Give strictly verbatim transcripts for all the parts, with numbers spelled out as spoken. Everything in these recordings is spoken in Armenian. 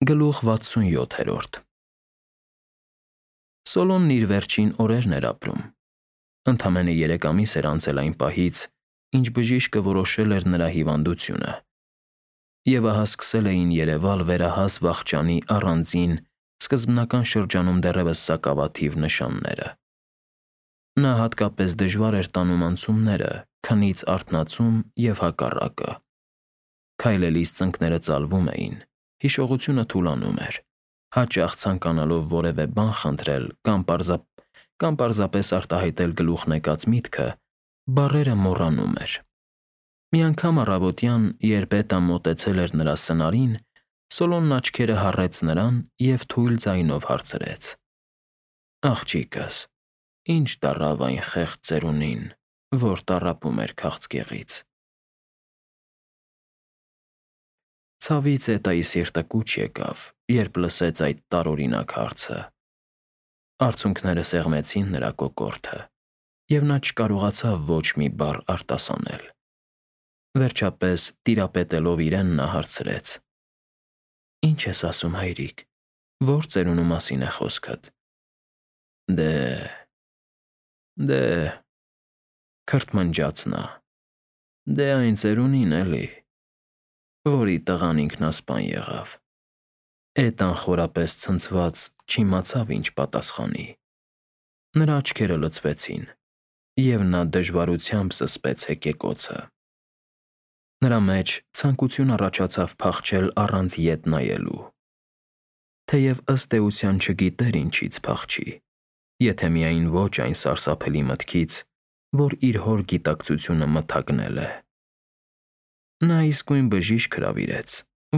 Գլուխ վաթսունյոթերորդ Սոլոնն իր վերջին օրերն էր ապրում։ Ընդամենը երեք ամիս էր անցել այն պահից, ինչ բժիշկը որոշել էր նրա հիվանդությունը, և ահա սկսել էին երևալ վերահաս վախճանի առանձին, սկզբնական շրջանում դեռևս սակավաթիվ նշանները։ Նա հատկապես դժվար էր տանում անցումները, քնից արթնացում և հակառակը։ Քայլելիս ծնկները ծալվում էին, հիշողությունը թուլանում էր, հաճախ ցանկանալով որևէ բան խնդրել կամ պարզապ... կամ պարզապես արտահայտել գլուխն եկած միտքը, բառերը մոռանում էր։ Մի անգամ առավոտյան, երբ Էտան մոտեցել էր նրա սնարին, Սոլոնն աչքերը հառեց նրան և թույլ ձայնով հարցրեց. «Աղջիկս, ի՞նչ դառավ այն խեղճ ծերունին, որ տառապում էր քաղցկեղից»։ Ցավից Էտայի սիրտը կուչ եկավ, երբ լսեց այդ տարօրինակ հարցը։ Արցունքները սեղմեցին նրա կոկորդը, և նա չկարողացավ ոչ մի բառ արտասանել։ Վերջապես, տիրապետելով իրեն, նա հարցրեց. «Ի՞նչ ես ասում, հայրիկ, ո՞ր ծերունու մասին է խոսքդ»։ «Դե… դե…» քրթմնջաց նա, «դե այն ծերունին էլի, որի տղան ինքնասպան եղավ»։ Էտան խորապես ցնցված չիմացավ ինչ պատասխանի։ Նրա աչքերը լցվեցին, և նա դժվարությամբ զսպեց հեկեկոցը։ Նրա մեջ ցանկություն առաջացավ փախչել առանց ետ նայելու։ Թեև ըստ էության չգիտեր ինչից փախչի, եթե միայն ոչ այն սարսափելի մտքից, որ իր հոր գիտակցությունը մթագնել է։ Նա իսկույն բժիշկ հրավիրեց,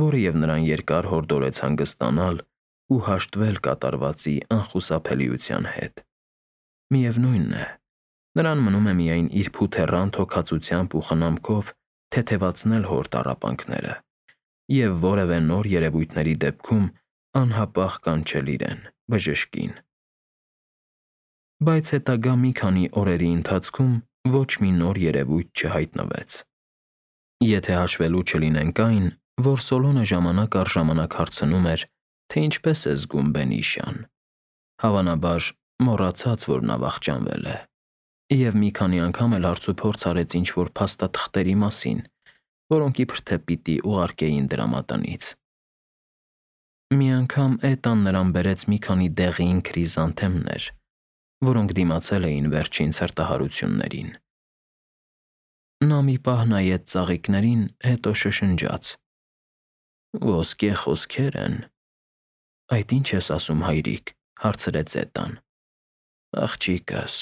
որը և նրան երկար հորդորեց հանգստանալ ու հաշտվել կատարվածի անխուսափելիության հետ։ Միևնույն է, նրան մնում է միայն իր փութեռան թոքածությամբ ու խնամքով թեթևացնել հոր տառապանքները և որևէ նոր երևույթների դեպքում անհապաղ կանչել իրեն՝ բժշկին։ Բայց հետագա մի քանի օրերի ընթացքում ոչ մի նոր երևույթ չհայտնվեց։ Եթե հաշվելու չլինենք այն, որ Սոլոնը ժամանակ առ ժամանակ հարցնում էր, թե ինչպես է զգում բենիշան, հավանաբար մոռացած, որ նա վախճանվել է, և մի քանի անգամ էլ հարցուփորձ արեց ինչ-որ փաստաթղթերի մասին, որոնք իբր թե պիտի ուղարկեին դրամատնից։ Մի անգամ Էտան նրան բերեց մի քանի դեղին քրիզանթեմներ, որոնք դիմացել էին վերջին ցրտահարություններին։ Նա մի պահ նայեց ծաղիկներին, հետո շշնջաց. «Ոսկե խոսքեր են»։ «Այդ ի՞նչ ես ասում, հայրիկ», հարցրեց Էտան։ «Աղջիկս»,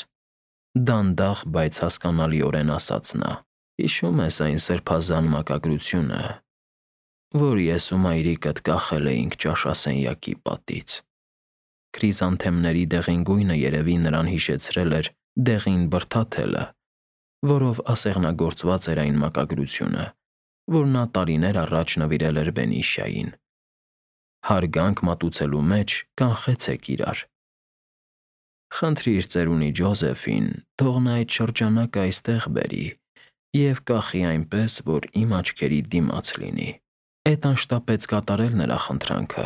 դանդաղ, բայց հասկանալիորեն ասաց նա, «հիշո՞ւմ ես այն սրբազան մակագրությունը, որ ես ու մայրիկդ կախել էինք ճաշասենյակի պատից»։ Քրիզանթեմների դեղին գույնը երևի նրան հիշեցրել էր դեղին բրդաթելը, որով ասեղնագործված էր այն մակագրությունը, որ նա տարիներ առաջ նվիրել էր Բենիշային։ Հարգանք մատուցելու մեջ կանխեցեք իրար։ Խնդրիր ծերունի Ջոզեֆին, թող նա այդ շրջանակը այստեղ բերի և կախի այնպես, որ իմ աչքերի դիմաց լինի։ Էտան շտապեց կատարել նրա խնդրանքը,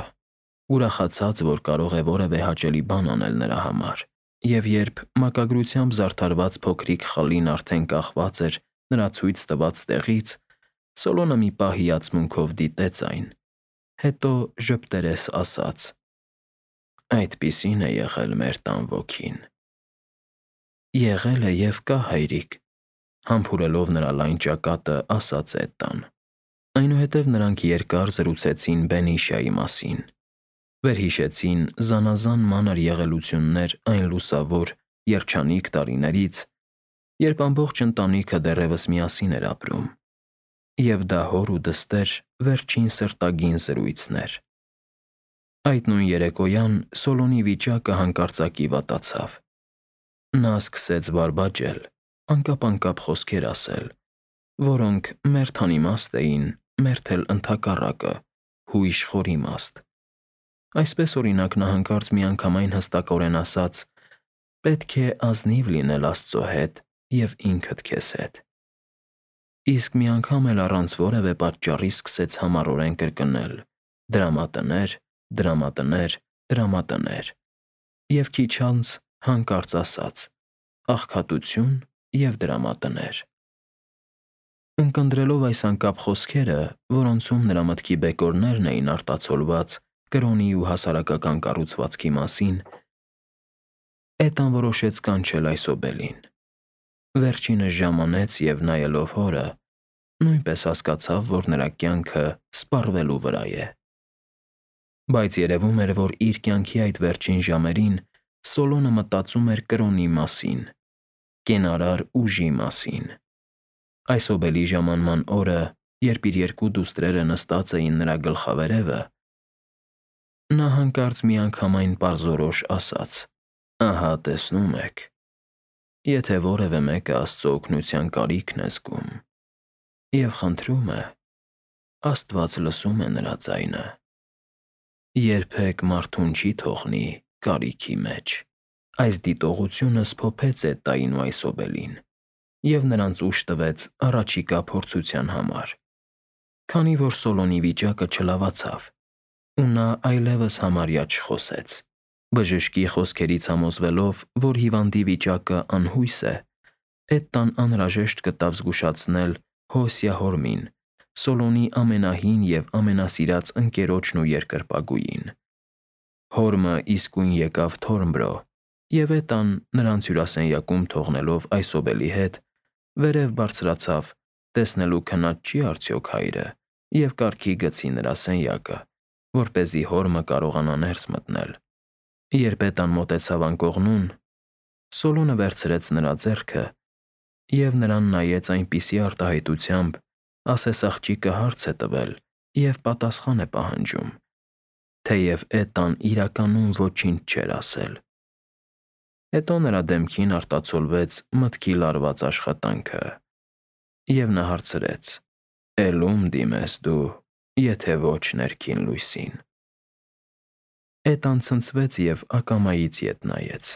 ուրախացած, որ կարող է որևէ հաճելի բան անել նրա համար, և երբ մակագրությամբ զարդարված փոքրիկ խլին արդեն կախված էր նրա ցույց տված տեղից, Սոլոնը մի պահ հիացմունքով դիտեց այն, հետո ժպտերես ասաց. «Այդպիսին է եղել մեր տան ոգին»։ «Եղել է և կա, հայրիկ», համբուրելով նրա լայն ճակատը, ասաց Էտան։ Այնուհետև նրանք երկար զրուցեցին Բենիշայի մասին, վերհիշեցին զանազան մանր եղելություններ այն լուսավոր, երջանիկ տարիներից, երբ ամբողջ ընտանիքը դեռևս միասին էր ապրում, և դա հոր ու դստեր վերջին սրտագին զրույցն էր։ Այդ նույն երեկոյան Սոլոնի վիճակը հանկարծակի վատացավ։ Նա սկսեց բարբաջել, անկապ֊անկապ խոսքեր ասել, որոնք մերթ անիմաստ էին, մերթ էլ ընդհակառակը՝ հույժ խորիմաստ։ Այսպես, օրինակ, նա հանկարծ միանգամայն հստակորեն ասաց. «Պետք է ազնիվ լինել Աստծո հետ և ինքդ քեզ հետ»։ Իսկ մի անգամ էլ առանց որևէ պատճառի սկսեց համառորեն կրկնել. «Դրամատներ, դրամատներ, դրամատներ, և քիչ անց հանկարծ ասաց. աղքատություն և դրամատներ։ Ունկնդրելով այս անկապ խոսքերը, որոնցում նրա մտքի բեկորներն էին արտացոլված կրոնի ու հասարակական կառուցվածքի մասին, Էտան որոշեց կանչել Այսոբելին։ Վերջինս ժամանեց և նայելով հորը, նույնպես հասկացավ, որ նրա կյանքը սպառվելու վրա է։ Բայց երևում էր, որ իր կյանքի այդ վերջին ժամերին Սոլոնը մտածում էր կրոնի մասին, կենարար ուժի մասին։ Այսոբելի ժամանման օրը, երբ իր երկու դուստրերը նստած էին նրա գլխավերևը, նա հանկարծ միանգամայն պարզորոշ ասաց. «Ահա տեսնում եք, եթե որևէ մեկը Աստծո օգնության կարիքն է զգում և խնդրում է, Աստված լսում է նրա ձայնը։ Երբեք մարդուն չի թողնի կարիքի մեջ»։ Այս դիտողությունը սփոփեց Էտային ու Այսոբելին և նրանց ուժ տվեց առաջիկա փորձության համար։ Քանի որ Սոլոնի վիճակը չլավացավ, ու նա այլևս համարյա չխոսեց, բժշկի խոսքերից համոզվելով, որ հիվանդի վիճակը անհույս է, Էտան անհրաժեշտ գտավ զգուշացնել Հոսյա հորմին, Սոլոնի ամենահին և ամենասիրած ընկերոջն ու երկրպագուին։ Հորմը իսկույն եկավ Թորմբրո, և Էտան, նրանց հյուրասենյակում թողնելով Այսոբելի հետ, վերև բարձրացավ, տեսնելու քնած չի արդյոք հայրը, և կարգի գցի նրա սենյակը, որպեսզի հորմը կարողանա ներս մտնել։ Երբ Էտան մոտեցավ անկողնուն, Սոլոնը վերցրեց նրա ձեռքը և նրան նայեց այնպիսի արտահայտությամբ, ասես աղջիկը հարց է տվել և պատասխան է պահանջում, թեև Էտան իրականում ոչինչ չէր ասել։ Հետո նրա դեմքին արտացոլվեց մտքի լարված աշխատանքը, և նա հարցրեց. «Էլ ո՞ւմ դիմես դու, եթե ոչ ներքին լույսին»։ Էտան ցնցվեց և ակամայից ետ նայեց,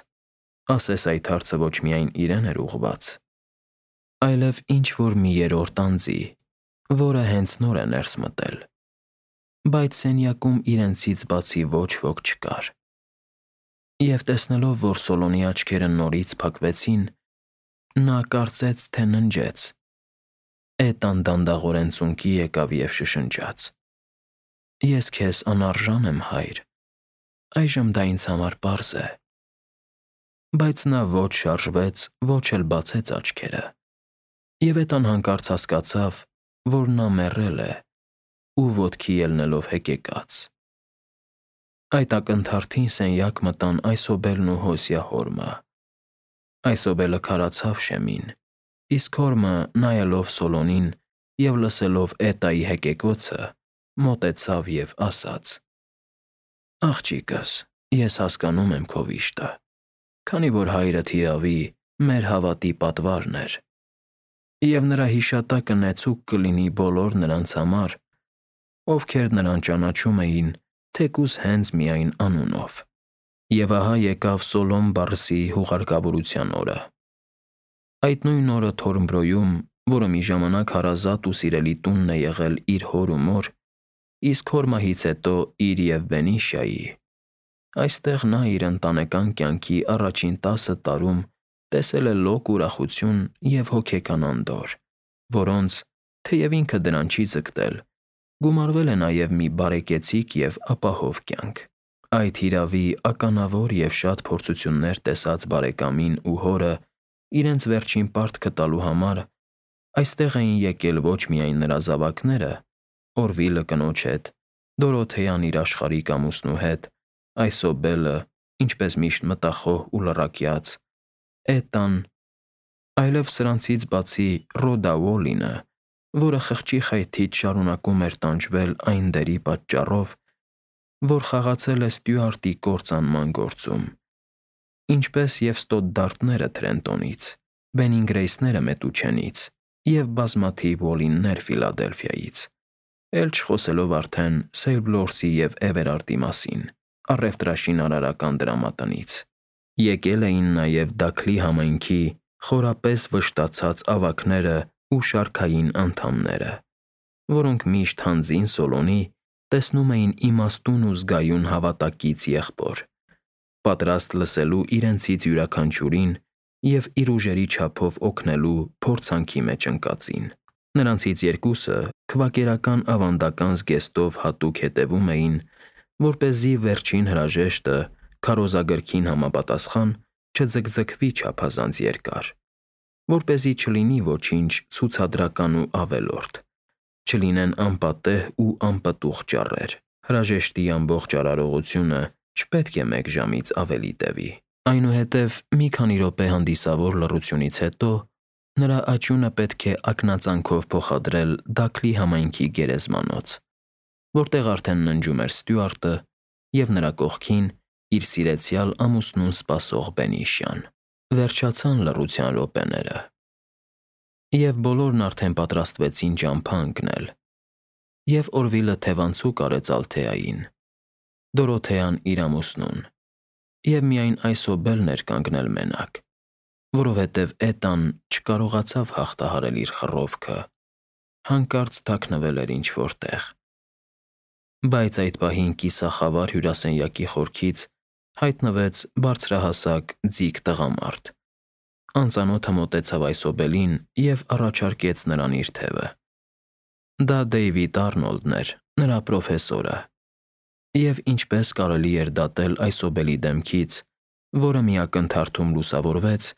ասես այդ հարցը ոչ միայն իրեն էր ուղղված, այլև ինչ-որ մի երրորդ անձի, որը հենց նոր է ներս մտել, բայց սենյակում իրենցից բացի ոչ ոք չկար։ Եվ տեսնելով, որ Սոլոնի աչքերը նորից փակվեցին, նա կարծեց, թե ննջեց։ Էտան դանդաղորեն ծունկի եկավ և շշնջաց. «Ես քեզ անարժան եմ, հայր, այժմ դա ինձ համար պարզ է»։ Բայց նա ոչ շարժվեց, ոչ էլ բացեց աչքերը, և Էտան հանկարծ հասկացավ, որ նա մեռել է ու ոտքի ելնելով հեկեկաց։ Այդ ակնթարթին սենյակ մտան Այսոբելն ու Հոսյա հորմը։ Այսոբելը քարացավ շեմին, իսկ հորմը, նայելով Սոլոնին և լսելով Էտայի հեկեկոցը, մոտեցավ և ասաց. «Աղջիկս, ես հասկանում եմ քո վիշտը, քանի որ հայրդ հիրավի, մեր հավատի պատվարն էր, և նրա հիշատակը նեցուկ կլինի բոլոր նրանց համար, ովքեր նրան ճանաչում էին թեկուզ հենց միայն անունով։ Եվ ահա եկավ Սոլոն Բարսի հուղարկավորության օրը։ Այդ նույն օրը Թորմբրոյում, որը մի ժամանակ հարազատ ու սիրելի տունն է եղել իր հոր ու մոր, իսկ հոր մահից հետո իր և Բենիշայի, այստեղ նա իր ընտանեկան կյանքի առաջին տասը տարում տեսել է լոկ ուրախություն և հոգեկան անդորր, որոնց, թեև ինքը դրան չի ձգտել, գումարվել է նաև մի բարեկեցիկ և ապահով կյանք։ Այդ հիրավի, ականավոր և շատ փորձություններ տեսած բարեկամին ու հորը իրենց վերջին պարտքը տալու համար այստեղ էին եկել ոչ միայն նրա զավակները՝ Օրվիլը կնոջ հետ, Դորոթեան իր աշխարհիկ ամուսնու հետ, Այսոբելը, ինչպես միշտ մտախոհ ու լռակյաց, Էտան, այլև սրանցից բացի Ռոդա Ուոլինը, որը խղճի խայթից շարունակում էր տանջվել այն դերի պատճառով, որ խաղացել է Ստյուարտի կործանման գործում, ինչպես և Ստոդդարտները Թրենտոնից, Բենինգրեյսները Մետուչենից և բազմաթիվ Ուոլիններ Ֆիլադելֆիայից, էլ չխոսելով արդեն Սեյլբլորսի և Էվերարտի մասին, առևտրաշինարարական դրամատնից։ Եկել էին նաև Դաքլի համայնքի խորապես վշտացած ավագները ու շարքային անդամները, որոնք միշտ հանձին Սոլոնի, տեսնում էին իմաստուն ու զգայուն հավատակից եղբոր, պատրաստ լսելու իրենցից յուրաքանչյուրին և իր ուժերի չափով օգնելու փորձանքի մեջ ընկածին։ Նրանցից երկուսը քվակերական ավանդական զգեստով հատուկ հետևում էին, որպեսզի վերջին հրաժեշտը քարոզագրքին համապատասխան չձգձգվի չափազանց երկար, որպեսզի չլինի ոչինչ ցուցադրական ու ավելորդ, չլինեն անպատեհ ու անպտուղ ճառեր։ Հրաժեշտի ամբողջ արարողությունը չպետք է մեկ ժամից ավելի տևի։ Այնուհետև մի քանի րոպե հանդիսավոր լռությունից հետո նրա աճյունը պետք է ակնածանքով փոխադրել Դաքլի համայնքի գերեզմանոց, որտեղ արդեն ննջում էր Ստյուարտը և նրա կողքին իր սիրեցյալ ամուսնուն սպասող Բենիշյան։ Վերջացան լռության րոպեները, և բոլորն արդեն պատրաստվեցին ճամփա ընկնել, և Օրվիլը թևանցուկ արեց Ալթեային, Դորոթեան իր ամուսնուն, և միայն Այսոբելն էր կանգնել մենակ, որովհետև Էտան չկարողացավ հաղթահարել իր խռովքը, հանկարծ թաքնվել էր ինչ֊որ տեղ։ Բայց այդ պահին կիսախավար հյուրասենյակի խորքից հայտնվեց բարձրահասակ, ձիգ տղամարդ։ Անծանոթը մոտեցավ Այսոբելին և առաջարկեց նրան իր թևը։ Դա Դեյվիդ Արնոլդն էր, նրա պրոֆեսորը, և ինչպես կարելի էր դատել Այսոբելի դեմքից, որը մի ակնթարթում լուսավորվեց,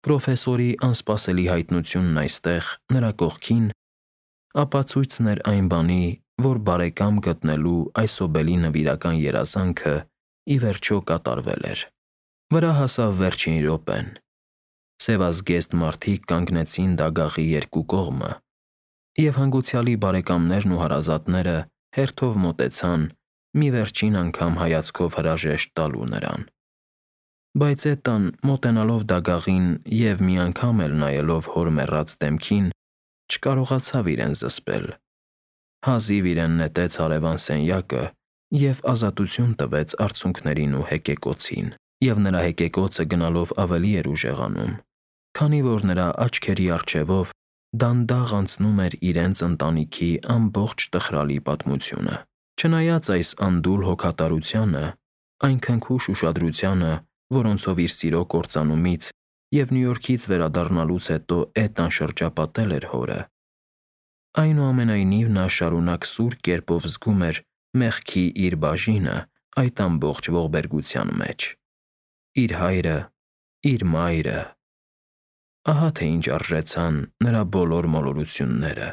պրոֆեսորի անսպասելի հայտնությունն այստեղ, նրա կողքին, ապացույցն էր այն բանի, որ բարեկամ գտնելու Այսոբելի նվիրական երազանքը ի վերջո կատարվել էր։ Վրա հասավ վերջին րոպեն։ Սևազգեստ մարդիկ կանգնեցին դագաղի երկու կողմը, և հանգուցյալի բարեկամներն ու հարազատները հերթով մոտեցան, մի վերջին անգամ հայացքով հրաժեշտ տալու նրան։ Բայց Էտան, մոտենալով դագաղին և մի անգամ էլ նայելով հոր մեռած դեմքին, չկարողացավ իրեն զսպել։ Հազիվ իրեն նետեց հարևան սենյակը և ազատություն տվեց արցունքներին ու հեկեկոցին, և նրա հեկեկոցը գնալով ավելի էր ուժեղանում, քանի որ նրա աչքերի առջևով դանդաղ անցնում էր իրենց ընտանիքի ամբողջ տխրալի պատմությունը։ Չնայած այս անդուլ հոգատարությանը, այն քնքուշ ուշադրությանը, որոնցով իր սիրո կործանումից և Նյու Յորքից վերադառնալուց հետո Էտան շրջապատել էր հորը, այնուամենայնիվ նա շարունակ սուր կերպով զգում էր մեղքի իր բաժինը այդ ամբողջ ողբերգության մեջ։ Իր հայրը, իր մայրը… Ահա թե ինչ արժեցան նրա բոլոր մոլորությունները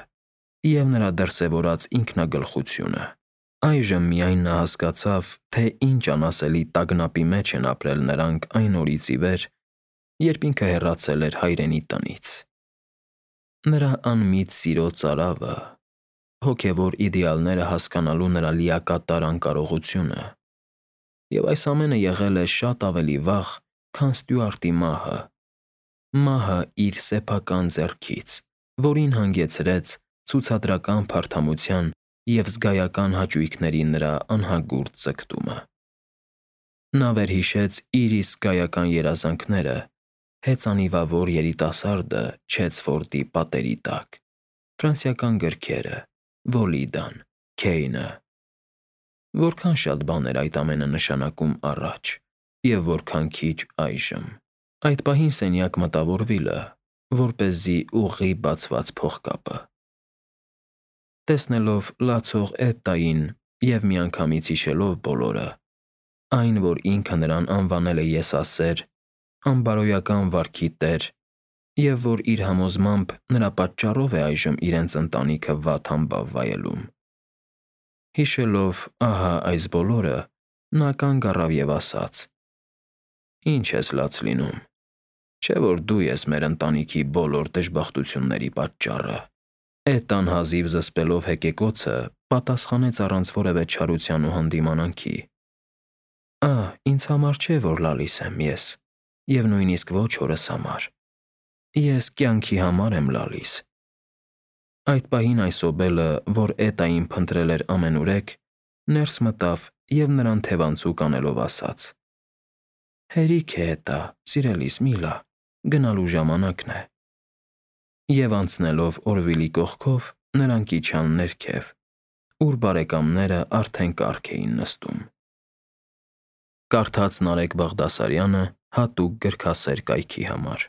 և նրա դրսևորած ինքնագլխությունը։ Այժմ միայն նա հասկացավ, թե ինչ անասելի տագնապի մեջ են ապրել նրանք այն օրից ի վեր, երբ ինքը հեռացել էր հայրենի տնից։ Նրա անմիտ սիրո ծարավը, հոգևոր իդեալները հասկանալու նրա լիակատար անկարողությունը… Եվ այս ամենը եղել է շատ ավելի վաղ, քան Ստյուարտի մահը, մահը իր սեփական ձեռքից, որին հանգեցրեց ցուցադրական փարթամության և զգայական հաճույքների նրա անհագուրդ ձգտումը։ Նա վերհիշեց իր իսկ զգայական երազանքները հեծանիվավոր երիտասարդը Չեցֆորդի պատերի տակ, ֆրանսիական գրքերը, Վոլիդան, Քեյնը… Որքան շատ բան էր այդ ամենը նշանակում առաջ, և որքան քիչ այժմ։ Այդ պահին սենյակ մտավ Օրվիլը, որպեսզի ուղղի բացված փողկապը։ Տեսնելով լացող Էտային և միանգամից հիշելով բոլորը, այն, որ ինքը նրան անվանել է եսասեր, անբարոյական վարքի տեր, և որ իր համոզմամբ նրա պատճառով է այժմ իրենց ընտանիքը վատ համբավ վայելում, հիշելով ահա այս բոլորը, նա կանգ առավ և ասաց. «Ի՞նչ ես լաց լինում, չէ՞ որ դու ես մեր ընտանիքի բոլոր դժբախտությունների պատճառը»։ Էտան հազիվ զսպելով հեկեկոցը, պատասխանեց առանց որևէ չարության ու հանդիմանանքի. «Ա՛, ինձ համար չէ, որ լալիս եմ ես, և նույնիսկ ոչ հորս համար։ Ես կյանքի համար եմ լալիս»։ Այդ պահին Այսոբելը, որ Էտային փնտրել էր ամենուրեք, ներս մտավ և նրան թևանցուկ անելով ասաց. «Հերիք է, Էտա, սիրելիս, մի լա, գնալու ժամանակն է»։ Եվ անցնելով Օրվիլի կողքով, նրանք իջան ներքև, ուր բարեկամները արդեն կարգ էին նստում։ Կարդաց Նարեկ Բաղդասարյանը հատուկ գրքասեր կայքի համար։